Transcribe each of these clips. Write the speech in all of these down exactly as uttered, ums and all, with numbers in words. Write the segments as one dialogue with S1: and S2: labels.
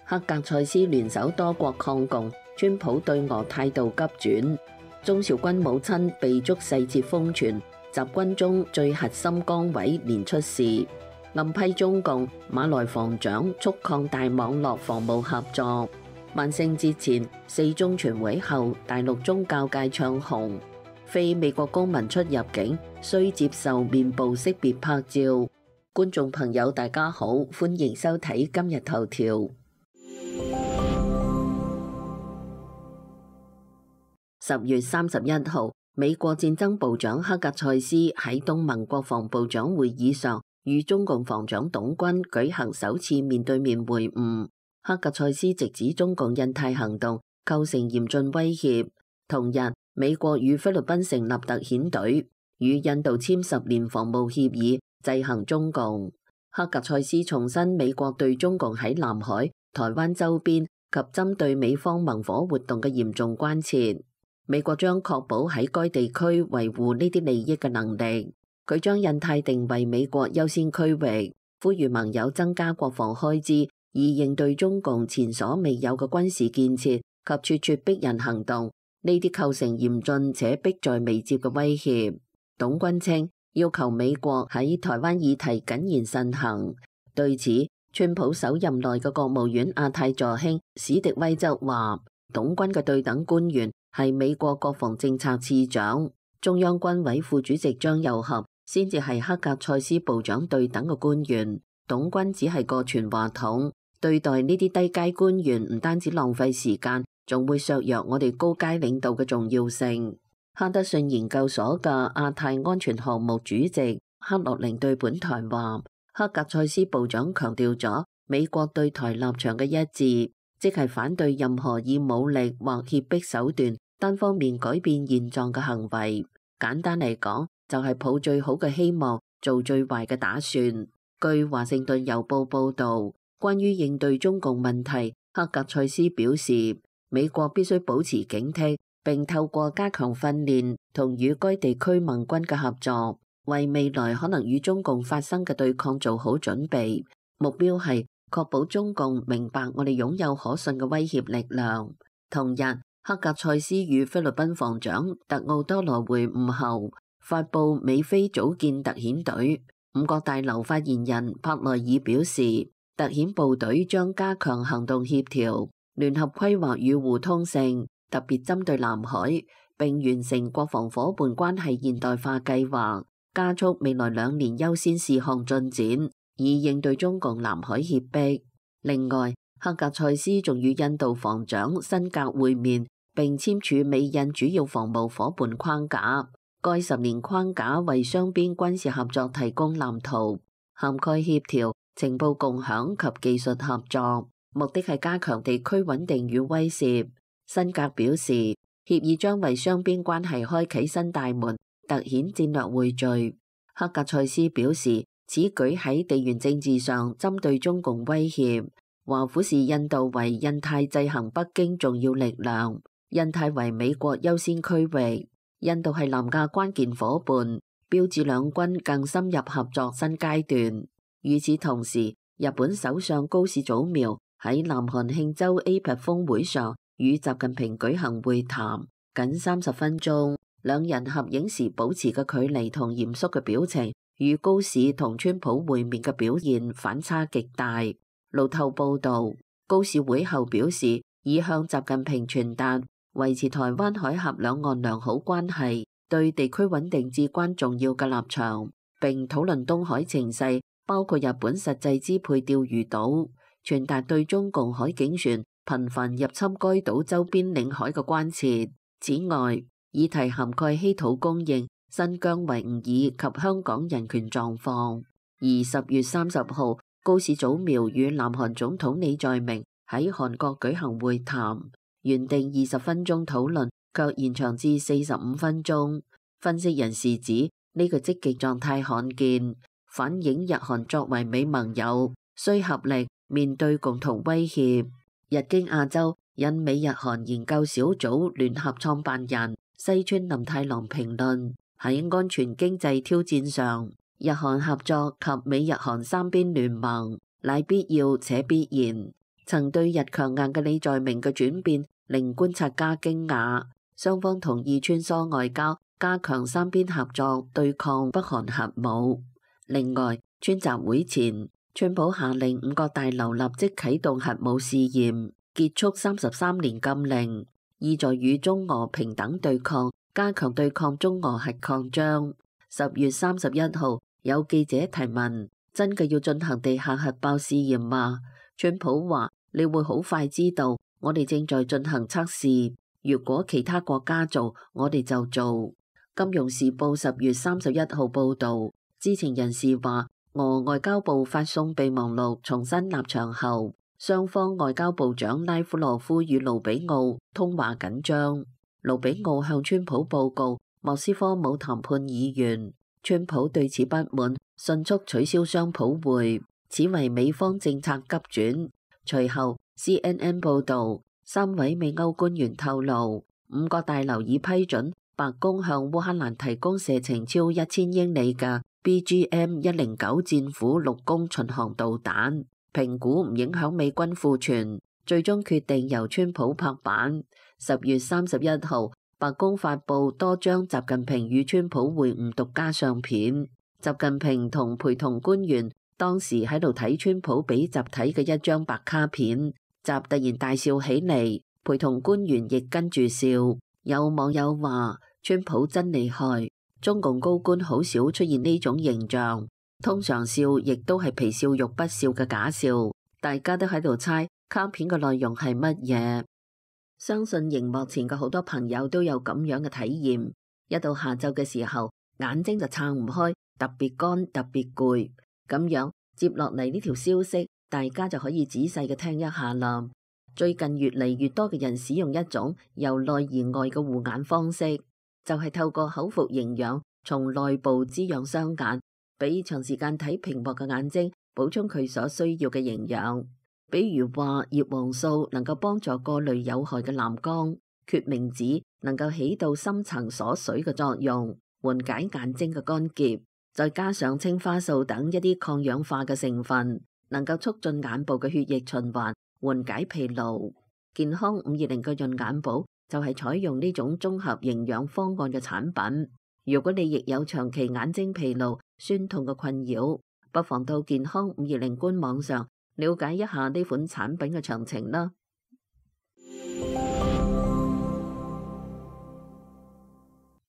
S1: 黑格塞斯聯手多國抗共，川普對俄態度急轉。中韶軍母親被捉細節瘋傳，集軍中最核心崗位連出事。暗批中共馬來防長促擴大網絡防務合作。萬聖節前四中全會後，大陸宗教界唱紅，非美國公民出入境需接受面部識別拍照。觀眾朋友大家好，歡迎收睇今日頭條。十月三十一號，美國戰爭部長黑格塞斯喺東盟國防部長會議上與中共防長董軍舉行首次面對面會晤。黑格塞斯直指中共印太行動構成嚴峻威脅。同日，美國與菲律賓成立特遣隊，與印度簽十年防務協議，制衡中共。黑格塞斯重申美國對中共喺南海、台灣周邊及針對美方盟火活動嘅嚴重關切。美國將確保喺該地區維護呢啲利益嘅能力。佢將印太定為美國優先區域，呼籲盟友增加國防開支，以應對中共前所未有嘅軍事建設及咄咄逼人行動。呢啲構成嚴峻且迫在眉睫嘅威脅。董軍稱要求美國喺台灣議題謹言慎行。對此，川普首任內嘅國務院亞太助卿史迪威則話，董軍嘅對等官員係美國國防政策次長，中央軍委副主席張又俠先至係黑格塞斯部長對等嘅官員。董軍只係個傳話筒，對待呢啲低階官員唔單止浪費時間，仲會削弱我哋高階領導嘅重要性。哈德遜研究所嘅亞太安全項目主席克洛寧對本台話，黑格塞斯部長強調咗美國對台立場嘅一致，即係反對任何以武力或脅迫手段單方面改變現狀嘅行為。簡單嚟講，就係抱最好嘅希望，做最壞嘅打算。據華盛頓郵報報導，關於應對中共問題，黑格塞斯表示，美國必須保持警惕，並透過加強訓練同與該地區盟軍嘅合作，為未來可能與中共發生嘅對抗做好準備。目標係確保中共明白我哋擁有可信嘅威脅力量。同日，黑格塞斯與菲律賓防長特奧多羅會晤後，發布美菲組建特遣隊。五角大樓發言人帕內爾表示，特遣部隊將加強行動協調、聯合規劃與互通性，特別針對南海，並完成國防夥伴關係現代化計劃，加速未來兩年優先事項進展，以應對中共南海脅迫。另外，黑格塞斯仲與印度防長辛格會面，並簽署美印主要防務夥伴框架。該十年框架為雙邊軍事合作提供藍圖，涵蓋協調、情報共享及技術合作，目的係加強地區穩定與威懾。辛格表示，協議將為雙邊關係開啟新大門，凸顯戰略匯聚。黑格塞斯表示，此舉喺地緣政治上針對中共威脅，華府視印度為印太制衡北京重要力量，印太為美國優先區域。印度係南亞關鍵夥伴，標誌兩軍更深入合作新階段。與此同時，日本首相高市早苗喺南韓慶州 A P E C 峰會上與習近平舉行會談，僅三十分鐘，兩人合影時保持嘅距離同嚴肅嘅表情，與高市同川普會面嘅表現反差極大。路透報道，高市會後表示，已向習近平傳達維持台灣海峽兩岸良好關係對地區穩定至關重要嘅立場，並討論東海情勢，包括日本實際支配釣魚島，傳達對中共海警船頻繁入侵該島周邊領海嘅關切。此外，議題涵蓋稀土供應、新疆維吾爾及香港人權狀況。而十月三十號，高市早苗與南韓總統李在明喺韓國舉行會談。原定二十分鐘討論，卻延長至四十五分鐘。分析人士指呢個積極狀態罕見，反映日韓作為美盟友，需合力面對共同威脅。日經亞洲引美日韓研究小組聯合創辦人西村林太郎評論，喺安全經濟挑戰上，日韓合作及美日韓三邊聯盟乃必要且必然。曾對日強硬嘅李在明嘅轉變令觀察家驚訝。雙方同意穿梭外交，加強三邊合作，對抗北韓核武。另外，川習會前，川普下令五角大樓立即啟動核武試驗，結束三十三年禁令，意在與中俄平等對抗，加強對抗中俄核擴張。十月三十一號，有記者提問：真嘅要進行地下核爆試驗嗎？川普話：你會好快知道，我哋正在進行測試。如果其他國家做，我哋就做。金融時報十月三十一號報導，知情人士話，俄外交部發送備忘錄重申立場後，雙方外交部長拉夫羅夫與盧比奧通話緊張。盧比奧向川普報告莫斯科冇談判意願，川普對此不滿，迅速取消雙普會，此為美方政策急轉。隨後 C N N 報導，三位美歐官員透露，五角大樓已批准白宮向烏克蘭提供射程超一千英里嘅 B G M 一零九戰斧陸攻巡航導彈，評估唔影響美軍庫存，最終決定由川普拍板。十月三十一號，白宮發布多張習近平與川普會晤獨家相片，習近平同陪同官員當時喺度睇川普俾習睇嘅一張白卡片。習突然大笑起嚟，陪同官員亦跟住笑。有網友話：川普真厲害，中共高官好少出現呢種形象，通常笑亦都係皮笑肉不笑嘅假笑。大家都喺度猜卡片嘅內容係乜嘢。相信熒幕前嘅好多朋友都有咁樣嘅體驗，一到下晝嘅時候，眼睛就撐唔開，特別乾，特別攰。咁樣接落嚟呢條消息，大家就可以仔細嘅聽一下啦。最近越嚟越多嘅人使用一種由內而外嘅護眼方式，就係透過口服營養從內部滋養雙眼，俾長時間睇屏幕嘅眼睛補充佢所需要嘅營養。比如話葉黃素能夠幫助過濾有害嘅藍光，決明子能夠起到深層鎖水嘅作用，緩解眼睛嘅乾澀，再加上青花素等一啲抗氧化嘅成分，能夠促進眼部嘅血液循環，緩解疲勞。健康五二零嘅潤眼寶就係採用呢種綜合營養方案嘅產品。如果你亦有長期眼睛疲勞、酸痛嘅困擾，不妨到健康五二零官網上了解一下呢款產品嘅詳情啦。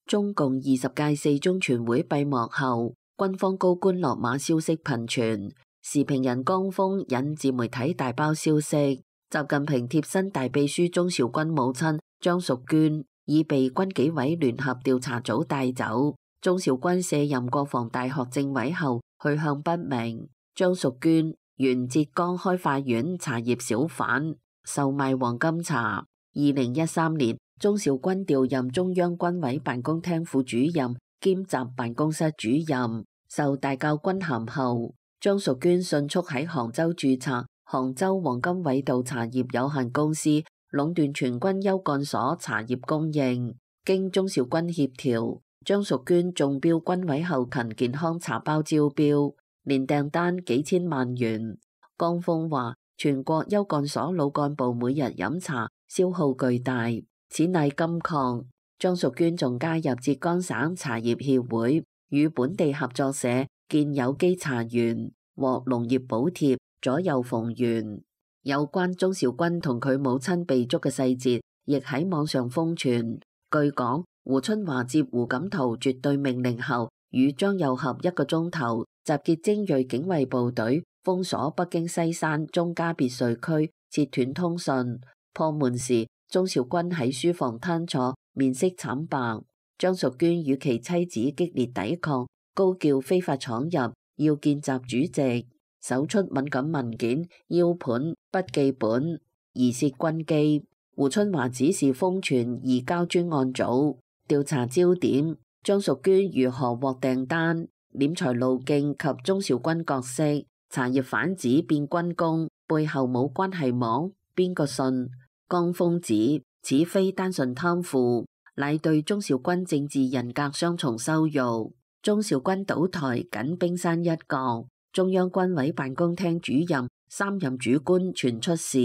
S1: 中共二十屆四中全會閉幕後，軍方高官落馬消息頻傳。時評人江峰引自媒體大包消息，習近平貼身大秘書鍾兆軍母親張淑娟已被軍紀委聯合調查組帶走。鍾兆軍卸任國防大學政委後去向不明。張淑娟原浙江開化縣茶葉小販，售賣黃金茶。二零一三年，鍾兆軍調任中央軍委辦公廳副主任兼習辦公室主任，受大校軍銜後，張淑娟迅速喺杭州註冊杭州黃金緯度茶葉有限公司，壟斷全軍優幹所茶葉供應。經鍾兆軍協調，張淑娟中標軍委後勤健康茶包招標，年訂單幾千萬元。江峰話，全國優幹所老幹部每日飲茶消耗巨大，此乃金礦。張淑娟仲加入浙江省茶葉協會，與本地合作社建有機茶園，獲農業補貼，左右逢源。有關鍾兆軍同佢母親被捉嘅細節，亦喺網上瘋傳。據講，胡春華接胡錦濤絕對命令後，與張又俠一個鐘頭，集結精銳警衛部隊，封鎖北京西山鍾家別墅區，切斷通訊。破門時，鍾兆軍喺書房攤坐，面色慘白。張淑娟與其妻子激烈抵抗，高叫非法闖入，要見習主席，搜出敏感文件、腰盤、筆記本，疑涉軍機。胡春華指示封存移交專案組調查焦點，張淑娟如何獲訂單、斂財路徑及鍾兆軍角色、茶葉販子變軍工背後冇關係網，邊個信？江峰指此非單純貪腐，乃對鍾兆軍政治人格雙重羞辱。鍾兆軍倒台僅冰山一角，中央軍委辦公廳主任三任主官傳出事，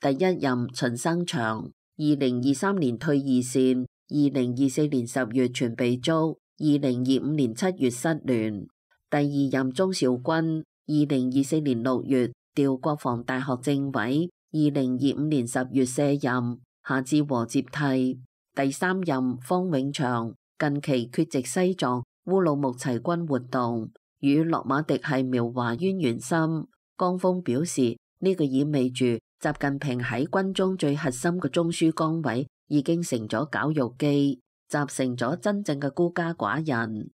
S1: 第一任秦生祥，二零二三年退二線，二零二四年十月傳被捉，二零二五年七月失聯。第二任鍾肇軍，二零二四年六月調國防大學政委，二零二五年十月卸任，夏志和接替。第三任方永祥，近期缺席西藏烏魯木齊軍活動，與洛馬迪係苗華淵源深。江峰表示，呢、這個意味住習近平喺軍中最核心嘅中樞崗位已經成咗絞肉機，習成咗真正嘅孤家寡人。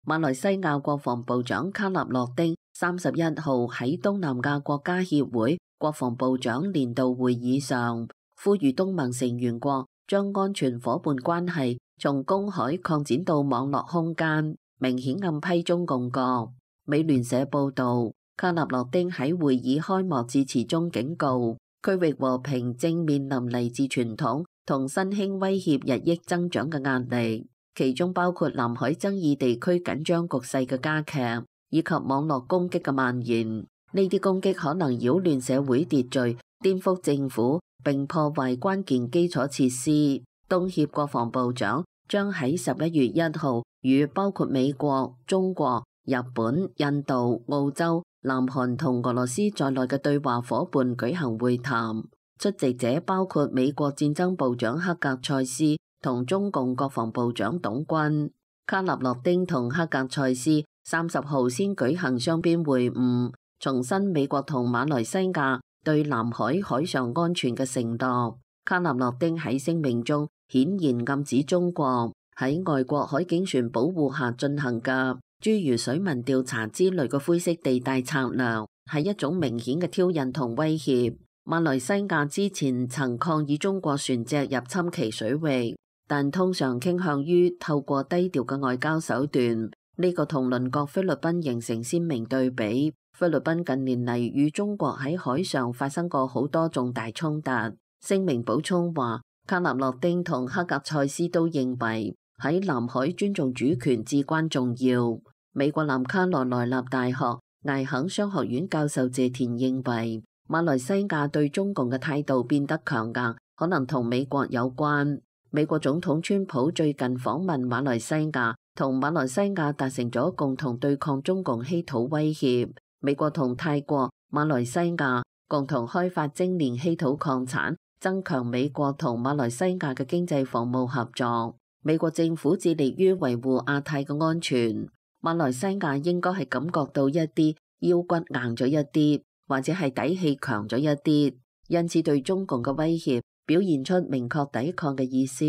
S1: 馬來西亞國防部長卡納洛丁三十一號喺東南亞國家協會國防部長年度會議上，呼籲東盟成員國將安全夥伴關係從公海擴展到網絡空間，明顯暗批中共國。美聯社報道，卡納洛丁喺會議開幕致辭中警告，區域和平正面臨嚟自傳統同新興威脅日益增長嘅壓力，其中包括南海爭議地區緊張局勢嘅加劇，以及網絡攻擊嘅蔓延。呢啲攻擊可能擾亂社會秩序、顛覆政府並破壞關鍵基礎設施。東協國防部長將喺十一月一號與包括美國、中國、日本、印度、澳洲、南韓同俄羅斯在內嘅對話夥伴舉行會談，出席者包括美國戰爭部長克格塞斯同中共國防部長董軍。卡納洛丁同克格塞斯三十號先舉行雙邊會晤，重申美國同馬來西亞對南海海上安全嘅承諾。卡納洛丁喺聲明中顯然暗指中國喺外國海警船保護下進行嘅諸如水文調查之類嘅灰色地帶策略，係一種明顯嘅挑釁同威脅。馬來西亞之前曾抗議中國船隻入侵其水域，但通常傾向於透過低調嘅外交手段。呢個同鄰國菲律賓形成鮮明對比。菲律賓近年嚟與中國喺海上發生過好多重大衝突。聲明補充話，卡納洛丁同克格塞斯都認為喺南海尊重主權至關重要。美國南卡羅來納大學艾肯商學院教授謝田認為，馬來西亞對中共嘅態度變得強硬，可能同美國有關。美國總統川普最近訪問馬來西亞，同馬來西亞達成咗共同對抗中共稀土威脅。美國同泰國、馬來西亞共同開發精煉稀土礦產，增強美國同馬來西亞嘅經濟防務合作。美國政府致力於維護亞太嘅安全。馬來西亞應該係感覺到一啲腰骨硬咗一啲，或者係底氣強咗一啲，因此對中共嘅威脅表現出明確抵抗嘅意思。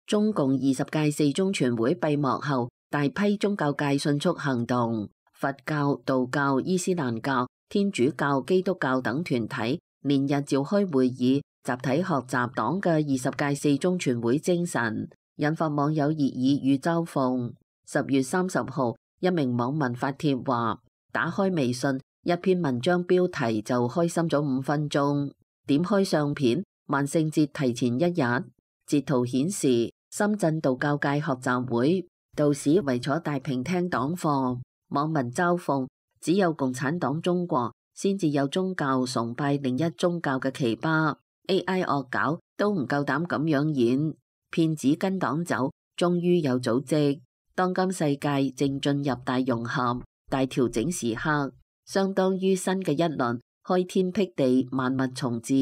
S1: 中共二十屆四中全會閉幕後，大批宗教界迅速行動，佛教、道教、伊斯蘭教、天主教、基督教等團體連日召開會議，集體學習黨嘅二十屆四中全會精神，引發網友熱議與嘲諷。十月三十號，一名網民發帖話：打開微信，一篇文章標題就開心咗五分鐘。點開相片，萬聖節提前一日。截圖顯示，深圳道教界學習會道士圍坐大屏聽黨課，網民嘲諷：只有共產黨中國先至有宗教崇拜另一宗教嘅奇葩。A I 惡搞都唔夠膽咁樣演，騙子跟黨走，終於有組織。當今世界正進入大融合、大調整時刻，相當於新嘅一輪開天闢地、萬物重置，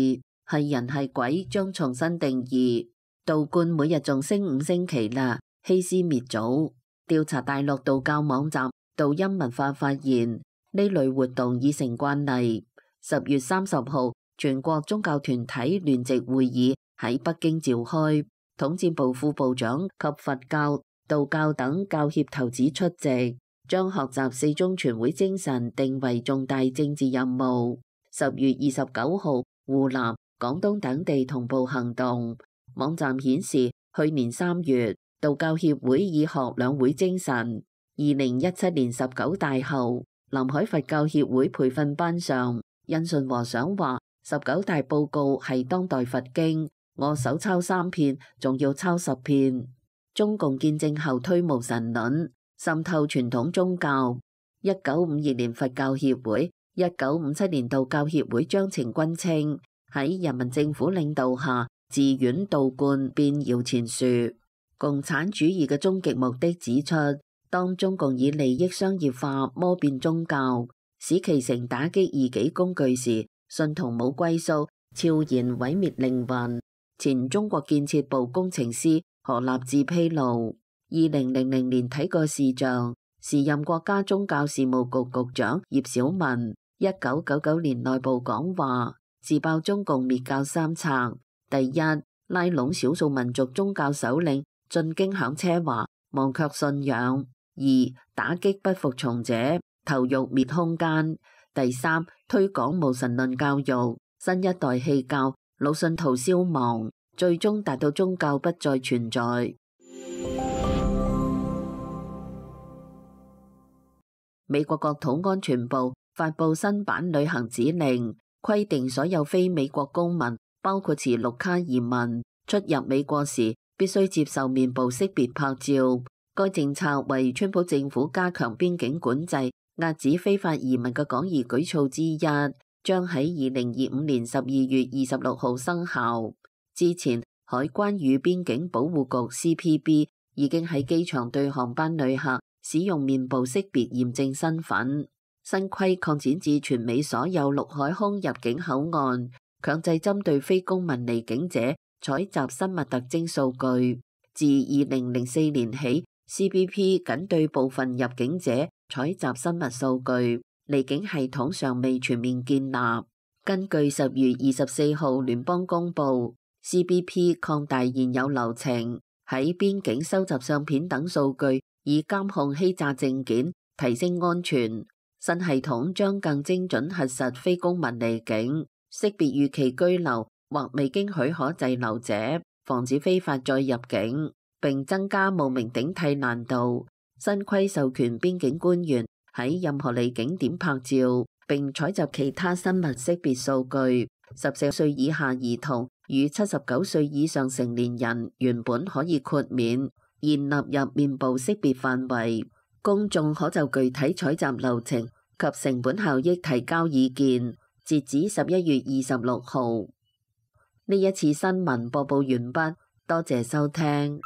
S1: 係人係鬼將重新定義。道觀每日仲升五星旗啦，欺師滅祖。調查大陸道教網站道音文化發現，呢類活動已成慣例。十月三十號，全國宗教團體聯席會議喺北京召開，統戰部副部長及佛教、道教等教協頭子出席，將學習四中全會精神定為重大政治任務。十月二十九號，湖南、廣東等地同步行動。網站顯示，去年三月，道教協會以學兩會精神。二零一七年十九大後，南海佛教協會培訓班上，印順和尚話：十九大報告係當代佛經，我手抄三遍，仲要抄十遍。中共建政後推無神論，滲透傳統宗教。一九五二年佛教協會、一九五七年道教協會章程均稱喺人民政府領導下自遠道觀變搖錢樹。共產主義嘅終極目的指出，當中共以利益商業化摸變宗教，使其成打擊異己工具時，信徒冇歸宿，悄然毀滅靈魂。前中國建設部工程師何立志披露，二零零零年睇過視像，時任國家宗教事務局局長葉小文一九九九年內部講話，自爆中共滅教三策：第一，拉攏少數民族宗教首領進京享奢華，忘卻信仰；二，打擊不服從者，投辱滅空間；第三，推廣無神論教育，新一代棄教，老信徒消亡，最終達到宗教不再存在。美國國土安全部發布新版旅行指令，規定所有非美國公民，包括持綠卡移民，出入美國時必須接受面部識別拍照。該政策為川普政府加強邊境管制、遏止非法移民嘅廣義舉措之一，將喺二零二五年十二月二十六號生效。之前，海關與邊境保護局 C P B 已經喺機場對航班旅客使用面部識別驗證身份。新規擴展至全美所有陸海空入境口岸，強制針對非公民離境者採集生物特徵數據。自二零零四年起 ，C B P 僅對部分入境者採集生物數據，離境系統尚未全面建立。根據十月二十四號聯邦公佈 ，C B P 擴大現有流程，喺邊境收集相片等數據，以監控欺詐證件，提升安全。新系統將更精準核實非公民離境，識別逾期居留或未經許可滯留者，防止非法再入境，並增加冒名頂替難度。新規授權邊境官員喺任何離境點拍照，並採集其他生物識別數據。十四歲以下兒童與七十九歲以上成年人原本可以豁免，現納入面部識別範圍。公眾可就具體採集流程及成本效益提交意見，截止十一月二十六號。呢一次新聞播報完畢，多謝收聽。